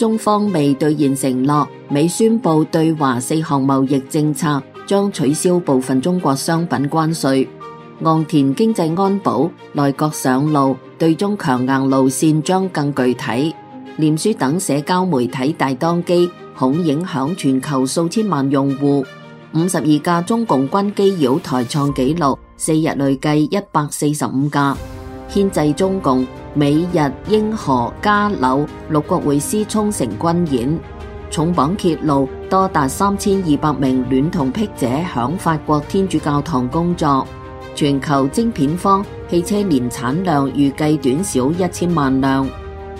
中方未兌現承諾，美宣布對華4項貿易政策將取消部分中國商品關稅。岸田經濟安保，內閣上路，對中強硬路線將更具體。臉書等社交媒體大當機，恐影響全球數千萬用戶。52架中共軍機擾台創紀錄，4日累計145架。牽制中共，美日英荷加紐6國會師沖繩軍演。重磅揭露，多達3200名戀童癖者響法國天主教堂工作。全球晶片荒，汽車年產量預計短少1000萬輛。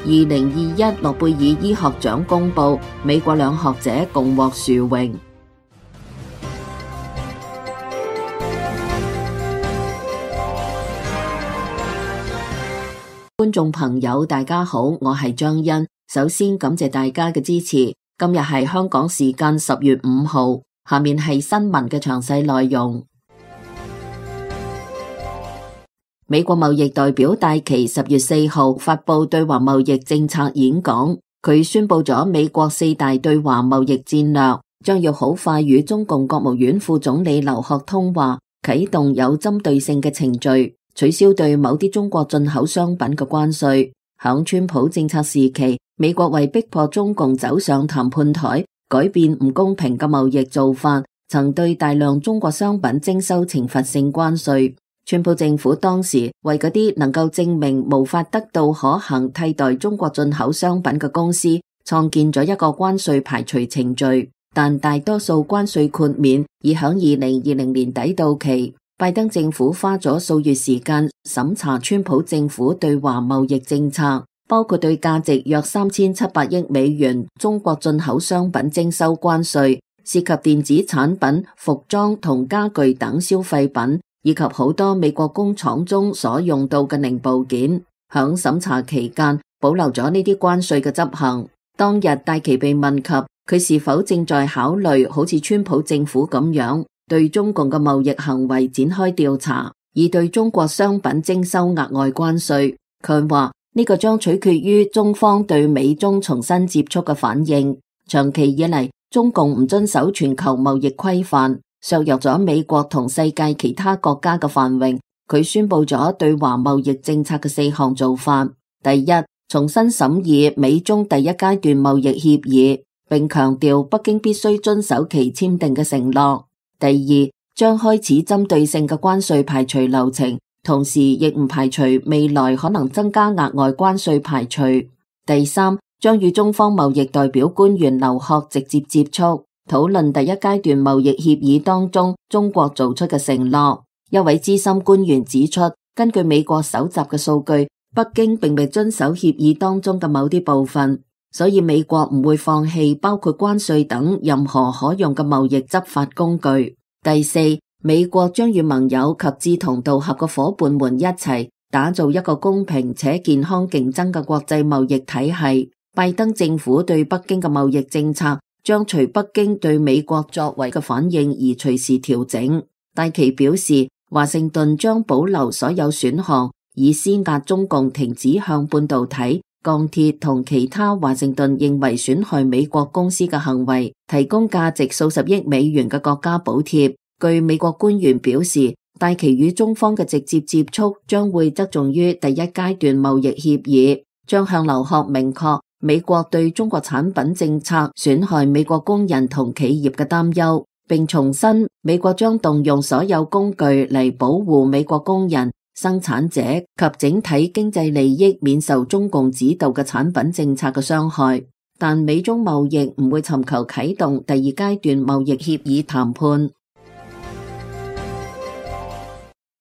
2021諾貝爾醫學獎公布，美國兩學者共獲殊榮。觀眾朋友大家好，我係張欣，首先感謝大家嘅支持。今日係香港時間10月5號，下面係新聞嘅詳細內容。美國貿易代表戴琪10月4號發布對華貿易政策演講，佢宣布咗美國4大對華貿易戰略，將要好快與中共國務院副總理劉鶴通話，啟動有針對性嘅程序，取消對某啲中國進口商品嘅關稅。響川普政策時期，美國為逼迫中共走上談判台，改變唔公平嘅貿易做法，曾對大量中國商品徵收懲罰性關稅。川普政府當時為嗰啲能夠證明無法得到可行替代中國進口商品嘅公司，創建咗一個關稅排除程序，但大多數關稅豁免已響2020年底到期。拜登政府花咗數月時間審查川普政府對華貿易政策，包括對價值約3700億美元中國進口商品徵收關稅，涉及電子產品、服裝同家具等消費品，以及好多美國工廠中所用到嘅零部件。響審查期間，保留咗呢啲關稅嘅執行。當日戴琪被問及佢是否正在考慮好似川普政府咁樣對中共嘅貿易行為展開調查，以對中國商品徵收額外關稅，佢話呢個將取決於中方對美中重新接觸嘅反應。長期以嚟，中共唔遵守全球貿易規範，削弱咗美國同世界其他國家嘅繁榮。佢宣布咗對華貿易政策嘅4項做法：第一，重新審議美中第一階段貿易協議，並強調北京必須遵守其簽訂嘅承諾；第二，將開始針對性嘅關稅排除流程，同時亦唔排除未來可能增加額外關稅排除；第三，將與中方貿易代表官員劉鶴直接接觸，討論第一階段貿易協議當中中國做出嘅承諾。一位資深官員指出，根據美國搜集嘅數據，北京並未遵守協議當中嘅某啲部分，所以美國唔會放棄包括關稅等任何可用嘅貿易執法工具。第四，美國將與盟友及志同道合嘅夥伴們一齊打造一個公平且健康競爭嘅國際貿易體系。拜登政府對北京嘅貿易政策將隨北京對美國作為嘅反應而隨時調整。戴琪表示，華盛頓將保留所有選項，以施壓中共停止向半導體、鋼鐵同其他華盛頓認為損害美國公司嘅行為提供價值數十億美元嘅國家補貼。據美國官員表示，戴琪與中方嘅直接接觸將會側重於第一階段貿易協議，將向劉鶴明確美國對中國產品政策損害美國工人同企業嘅擔憂，並重申美國將動用所有工具嚟保護美國工人、生產者及整體經濟利益免受中共指導嘅產品政策嘅傷害。但美中貿易唔會尋求啟動第二階段貿易協議談判。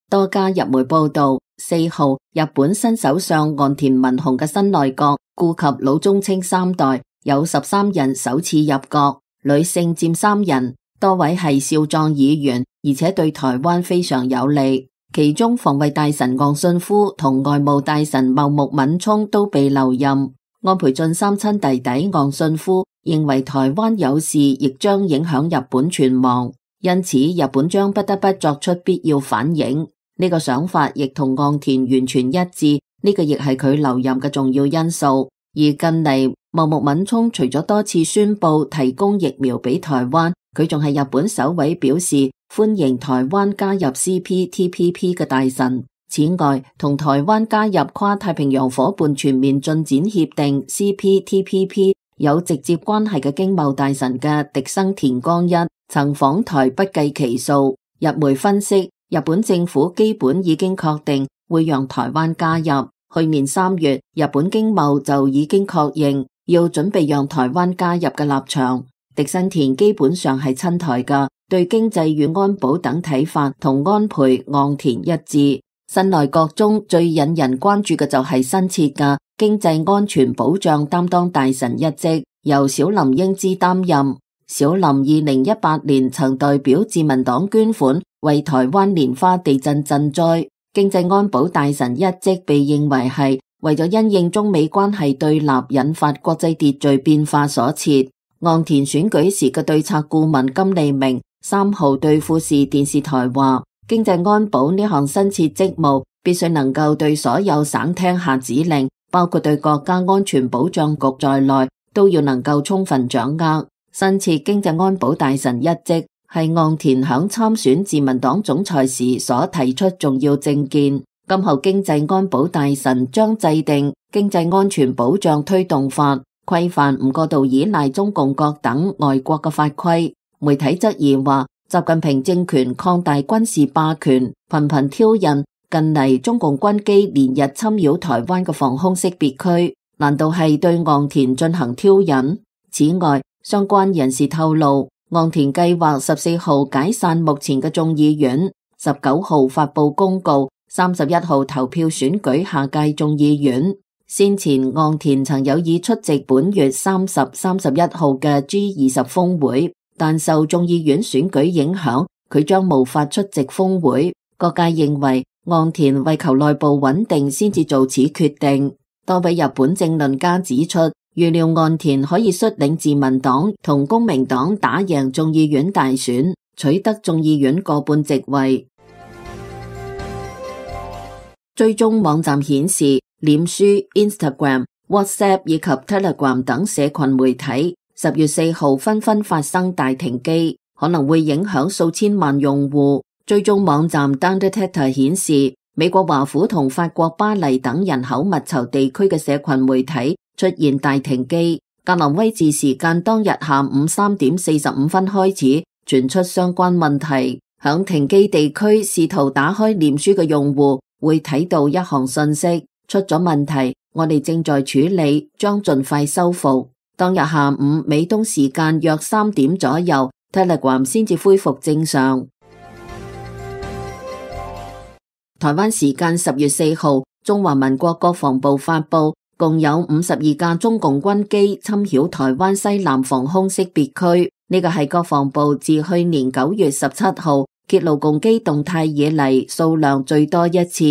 多家日媒報道，4號日本新首相岸田文雄嘅新內閣顧及老中青三代，有13人首次入閣，女性佔3人，多位係少壯議員，而且對台灣非常有利。其中防衛大臣岸信夫同外務大臣茂木敏充都被留任。安倍晉三親弟弟岸信夫認為台灣有事亦將影響日本存亡，因此日本將不得不作出必要反應。呢個想法亦同岸田完全一致，呢個亦係佢留任嘅重要因素。而近嚟茂木敏充除咗多次宣布提供疫苗俾台灣，佢仲係日本首位表示歡迎台灣加入 CPTPP 嘅大臣。此外，同台灣加入跨太平洋夥伴全面進展協定 CPTPP 有直接關係嘅經貿大臣嘅萩生田光一曾訪台不計其數。日媒分析，日本政府基本已經確定會讓台灣加入。去年3月，日本經貿就已經確認要準備讓台灣加入嘅立場。萩生田基本上係親台嘅，對經濟與安保等睇法同安倍、岸田一致。新內閣中最引人關注嘅就係新設嘅經濟安全保障擔當大臣一職，由小林英姿擔任。小林2018年曾代表自民黨捐款為台灣蓮花地震賑災，經濟安保大臣一職被認為係為咗因應中美關係對立引發國際秩序變化所設。岸田選舉時嘅對策顧問金利明3號對富士電視台話，經濟安保呢項新設職務必須能夠對所有省廳下指令，包括對國家安全保障局在內，都要能夠充分掌握。新設經濟安保大臣一職係岸田響參選自民黨總裁時所提出重要政見。今後經濟安保大臣將制定經濟安全保障推動法，規範唔過度依賴中共國等外國嘅法規。媒體質疑話，習近平政權擴大軍事霸權，頻頻挑釁，近嚟中共軍機連日侵擾台灣嘅防空識別區，難道係對岸田進行挑釁？此外，相關人士透露，岸田計劃14號解散目前嘅眾議院，19號發佈公告，31號投票選舉下屆眾議院。先前岸田曾有意出席本月30、31號嘅 G20 峰會，但受眾議院選舉影響，佢將無法出席峰會。各界認為岸田為求內部穩定先至做此決定。多位日本政論家指出，預料岸田可以率領自民黨同公明黨打贏眾議院大選，取得眾議院過半席位。追蹤網站顯示，臉書、Instagram、WhatsApp 以及 Telegram 等社群媒體10月4號紛紛發生大停機，可能會影響數千萬用戶。追蹤網站 Dunderdata 顯示，美國華府同法國巴黎等人口密集地區嘅社群媒體出現大停機。格林威治時間當日下午3點45分開始傳出相關問題。響停機地區試圖打開臉書嘅用戶會睇到一行信息，出咗問題，我哋正在處理，將盡快修復。當日下午美東時間約3點左右， Telegram 先至恢復正常。台灣時間10月4號，中華民國國防部發布，共有52架中共軍機侵擾台灣西南防空識別區。呢個係國防部自去年9月17號揭露共機動態以嚟數量最多一次。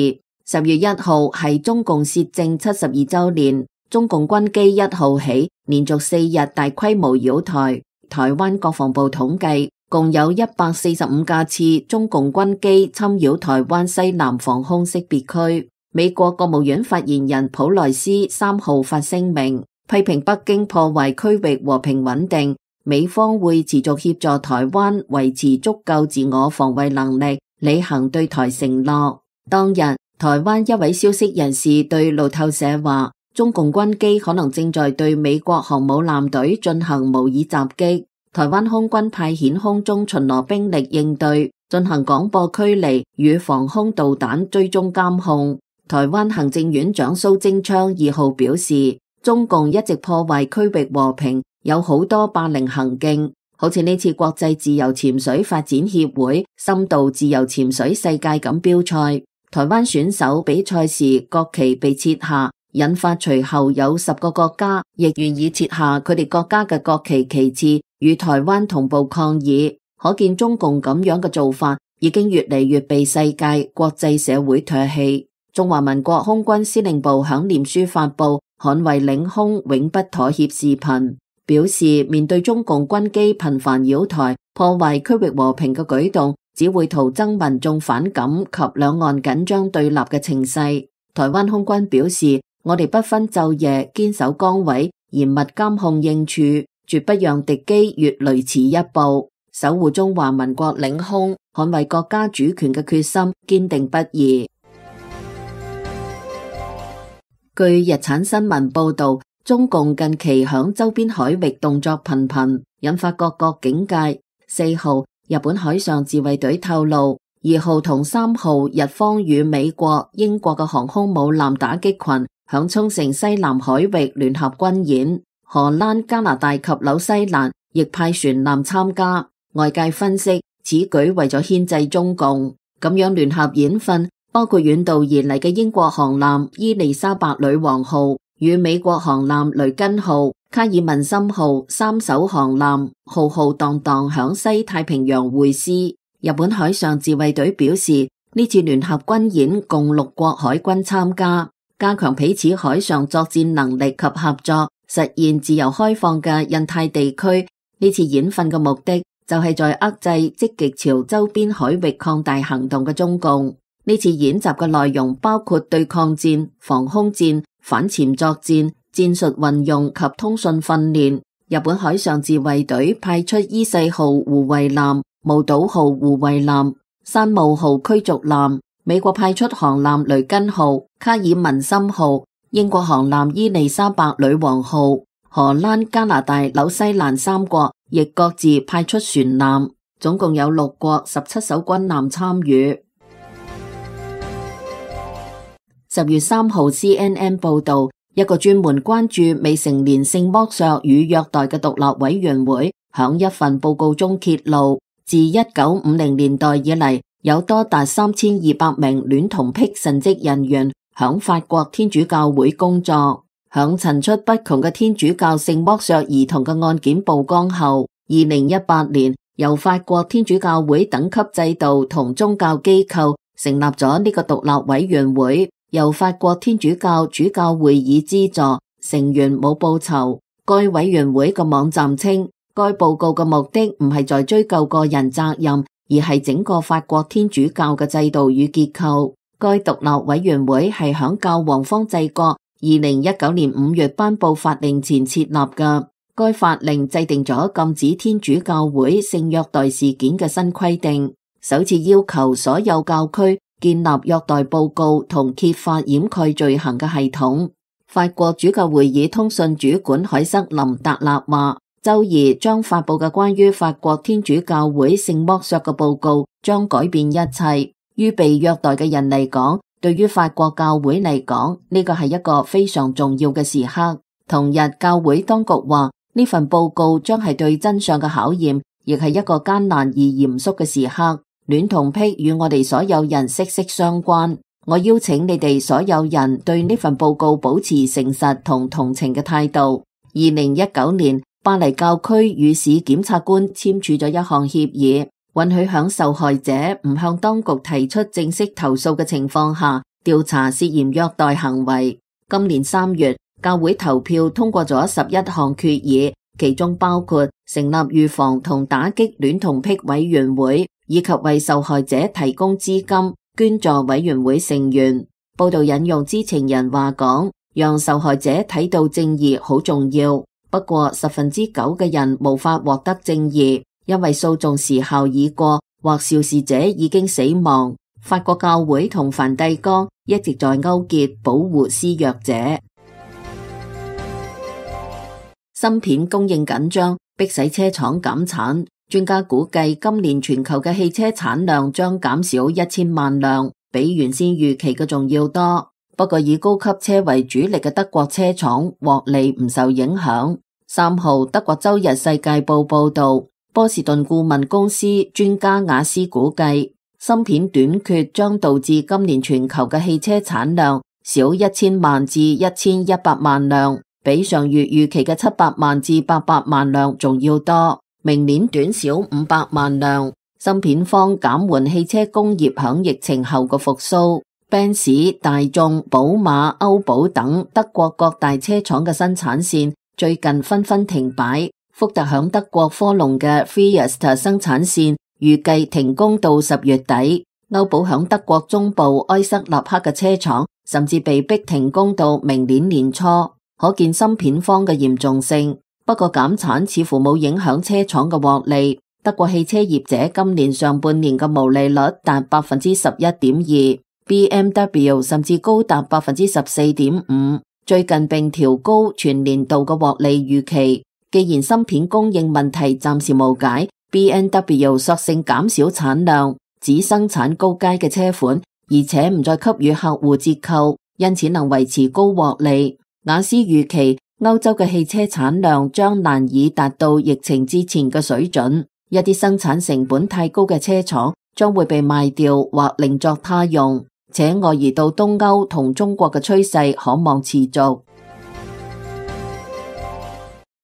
10月1號係中共竊政72週年，中共軍機1號起連續4日大規模擾台。台灣國防部統計，共有145架次中共軍機侵擾台灣西南防空識別區。美國國務院發言人普萊斯3號發聲明，批評北京破壞區域和平穩定。美方會持續協助台灣維持足夠自我防衛能力，履行對台承諾。當日，台灣一位消息人士對路透社話，中共軍機可能正在對美國航母艦隊進行模擬襲擊。台灣空軍派遣空中巡邏兵力應對，進行廣播驅離與防空導彈追蹤監控。台灣行政院長蘇貞昌2號表示，中共一直破壞區域和平，有好多霸凌行徑，好似呢次國際自由潛水發展協會深度自由潛水世界錦標賽，台灣選手比賽時國旗被撤下，引發隨後有10個國家亦願意撤下佢哋國家嘅國旗旗幟，與台灣同步抗議。可見中共咁樣嘅做法已經越嚟越被世界國際社會唾棄。中華民國空軍司令部響臉書發布捍衛領空永不妥協視頻，表示面對中共軍機頻繁擾台、破壞區域和平嘅舉動，只會徒增民眾反感及兩岸緊張對立嘅情勢。台灣空軍表示，我哋不分晝夜堅守崗位，嚴密監控應處，絕不讓敵機越雷池一步，守護中華民國領空、捍衛國家主權嘅決心堅定不移。據日產新聞報道，中共近期響周邊海域動作頻頻，引發各國警戒。4號，日本海上自衛隊透露，2號同3號日方與美國、英國嘅航空母艦打擊群響沖繩西南海域聯合軍演，荷蘭、加拿大及紐西蘭亦派船艦參加。外界分析，此舉為咗牽制中共，咁樣聯合演訓，包括遠道而嚟嘅英國航艦伊麗莎白女王號與美國航艦雷根號、卡爾文森號三艘航艦浩浩蕩蕩響西太平洋會師。日本海上自衛隊表示，呢次聯合軍演共6國海軍參加，加強彼此海上作戰能力及合作，實現自由開放嘅印太地區。呢次演訓嘅目的就係在遏制積極朝周邊海域擴大行動嘅中共。呢次演習嘅內容包括對抗戰、防空戰、反潛作戰、戰術運用及通訊訓練。日本海上自衛隊派出伊勢號護衛艦、霧島號護衛艦、山姆號驅逐艦，美國派出航艦雷根號、卡爾文森號，英國航艦伊麗莎白女王號，荷蘭、加拿大、紐西蘭3國亦各自派出船艦，總共有6國17艘軍艦參與。10月3號 CNN 報道，一個專門關注未成年性剝削與虐待嘅獨立委員會響一份報告中揭露，自1950年代以嚟，有多達3200名戀童癖神職人員響法國天主教會工作。響層出不窮嘅天主教性剝削兒童嘅案件曝光後，2018年由法國天主教會等級制度同宗教機構成立咗呢個獨立委員會，由法國天主教主教會議資助，成員冇報酬。該委員會嘅網站稱，該報告嘅目的唔係在追究個人責任，而係整個法國天主教嘅制度與結構。該獨立委員會係響教皇方濟各2019年5月頒布法令前設立嘅。該法令制定咗禁止天主教會性虐待事件嘅新規定，首次要求所有教區建立虐待報告同揭發掩蓋罪行嘅系統。法國主教會議通訊主管凱瑟琳達納話，周二將發佈嘅關於法國天主教會性剝削嘅報告將改變一切。於被虐待嘅人嚟講，對於法國教會嚟講，呢個係一個非常重要嘅時刻。同日，教會當局話，呢份報告將係對真相嘅考驗，亦係一個艱難而嚴肅嘅時刻。戀童癖與我哋所有人息息相關。我邀請你哋所有人對呢份報告保持誠實同同情嘅態度。2019年，巴黎教區與市檢察官簽署咗一項協議，允許向受害者唔向當局提出正式投訴嘅情況下，調查涉嫌虐待行為。今年3月，教會投票通過咗11項決議，其中包括成立預防同打擊戀童癖委員會，以及為受害者提供資金捐助委員會成員。報道引用知情人話講，讓受害者睇到正義好重要，不過9%嘅人無法獲得正義，因為訴訟時效已過或肇事者已經死亡。法國教會同梵蒂岡一直在勾結保護施虐者。芯片供應緊張，迫使車廠減產。專家估計今年全球嘅汽車產量將減少1000萬輛，比原先預期嘅仲要多。不過以高級車為主力嘅德國車廠獲利唔受影響。3號，德國周日世界報報道，波士頓顧問公司專家雅斯估計，芯片短缺將導致今年全球嘅汽車產量少1000萬至1100萬輛，比上月預期嘅700萬至800萬輛仲要多。明年短少500萬輛。芯片方減緩汽車工業響疫情後嘅復甦。賓士、大眾、寶馬、歐寶等德國各大車廠嘅生產線最近紛紛停擺。福特響德國科隆嘅 Fiesta 生產線預計停工到10月底。歐寶響德國中部埃塞納克嘅車廠甚至被逼停工到明年年初。可見芯片荒嘅嚴重性。不過減產似乎冇影響車廠嘅獲利。德國汽車業者今年上半年嘅毛利率達 11.2%，BMW 甚至高達 14.5%， 最近並調高全年度嘅獲利預期。既然芯片供應問題暫時無解， BMW 索性減少產量，只生產高階嘅車款，而且唔再給予客戶折扣，因此能維持高獲利。雅思預期歐洲嘅汽車產量將難以達到疫情之前嘅水準，一啲生產成本太高嘅車廠將會被賣掉或另作他用，且外移到東歐同中國嘅趨勢可望持續。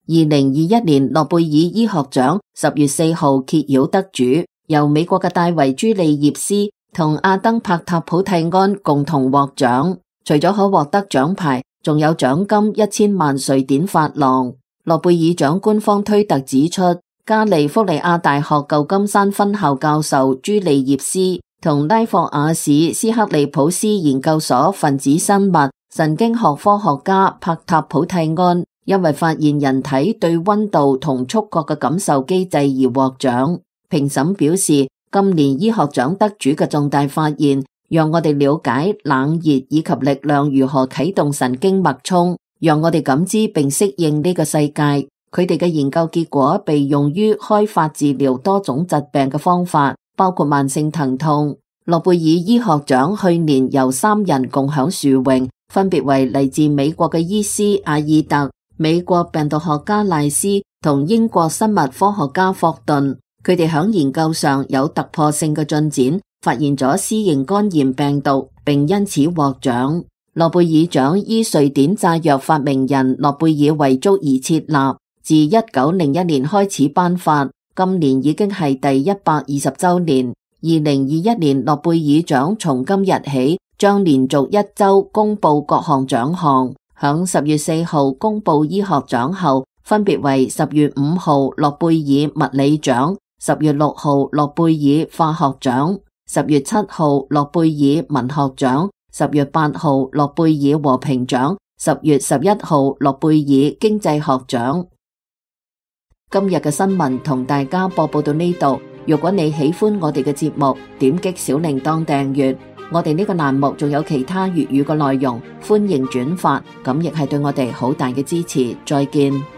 2021年諾貝爾醫學獎10月4號揭曉得主，由美國嘅戴維·朱利葉斯同阿登·帕塔普蒂安共同獲獎。除咗可獲得獎牌，仲有獎金1000萬瑞典法郎。諾貝爾獎官方推特指出，加利福尼亞大學舊金山分校教授朱利葉斯同拉霍瓦市斯克利普斯研究所分子生物神經學科學家帕塔普蒂安，因為發現人體對溫度同觸覺嘅感受機制而獲獎。評審表示，今年醫學獎得主嘅重大發現，讓我哋了解冷熱以及力量如何啟動神經脈衝，讓我哋感知並適應呢個世界。佢哋嘅研究結果被用於開發治療多種疾病嘅方法，包括慢性疼痛。諾貝爾醫學獎去年由3人共享殊榮，分別為嚟自美國嘅醫師阿爾特、美國病毒學家賴斯同英國生物科學家霍頓。佢哋喺研究上有突破性嘅進展，發現咗 C 型肝炎病毒，並因此獲獎。諾貝爾獎依瑞典炸藥發明人諾貝爾遺囑而設立，自1901年開始頒發，今年已經係第120週年。2021年諾貝爾獎從今日起將連續1週公布各項獎項，響10月4號公布醫學獎後，分別為10月5號諾貝爾物理獎、10月6號諾貝爾化學獎、10月7號諾貝爾文學獎、10月8號諾貝爾和平獎、10月11號諾貝爾經濟學獎。今日嘅新聞同大家播報到呢度。如果你喜歡我哋嘅節目，點擊小鈴鐺訂閱。我哋呢個欄目仲有其他粵語嘅內容，歡迎轉發，咁亦係對我哋好大嘅支持。再見。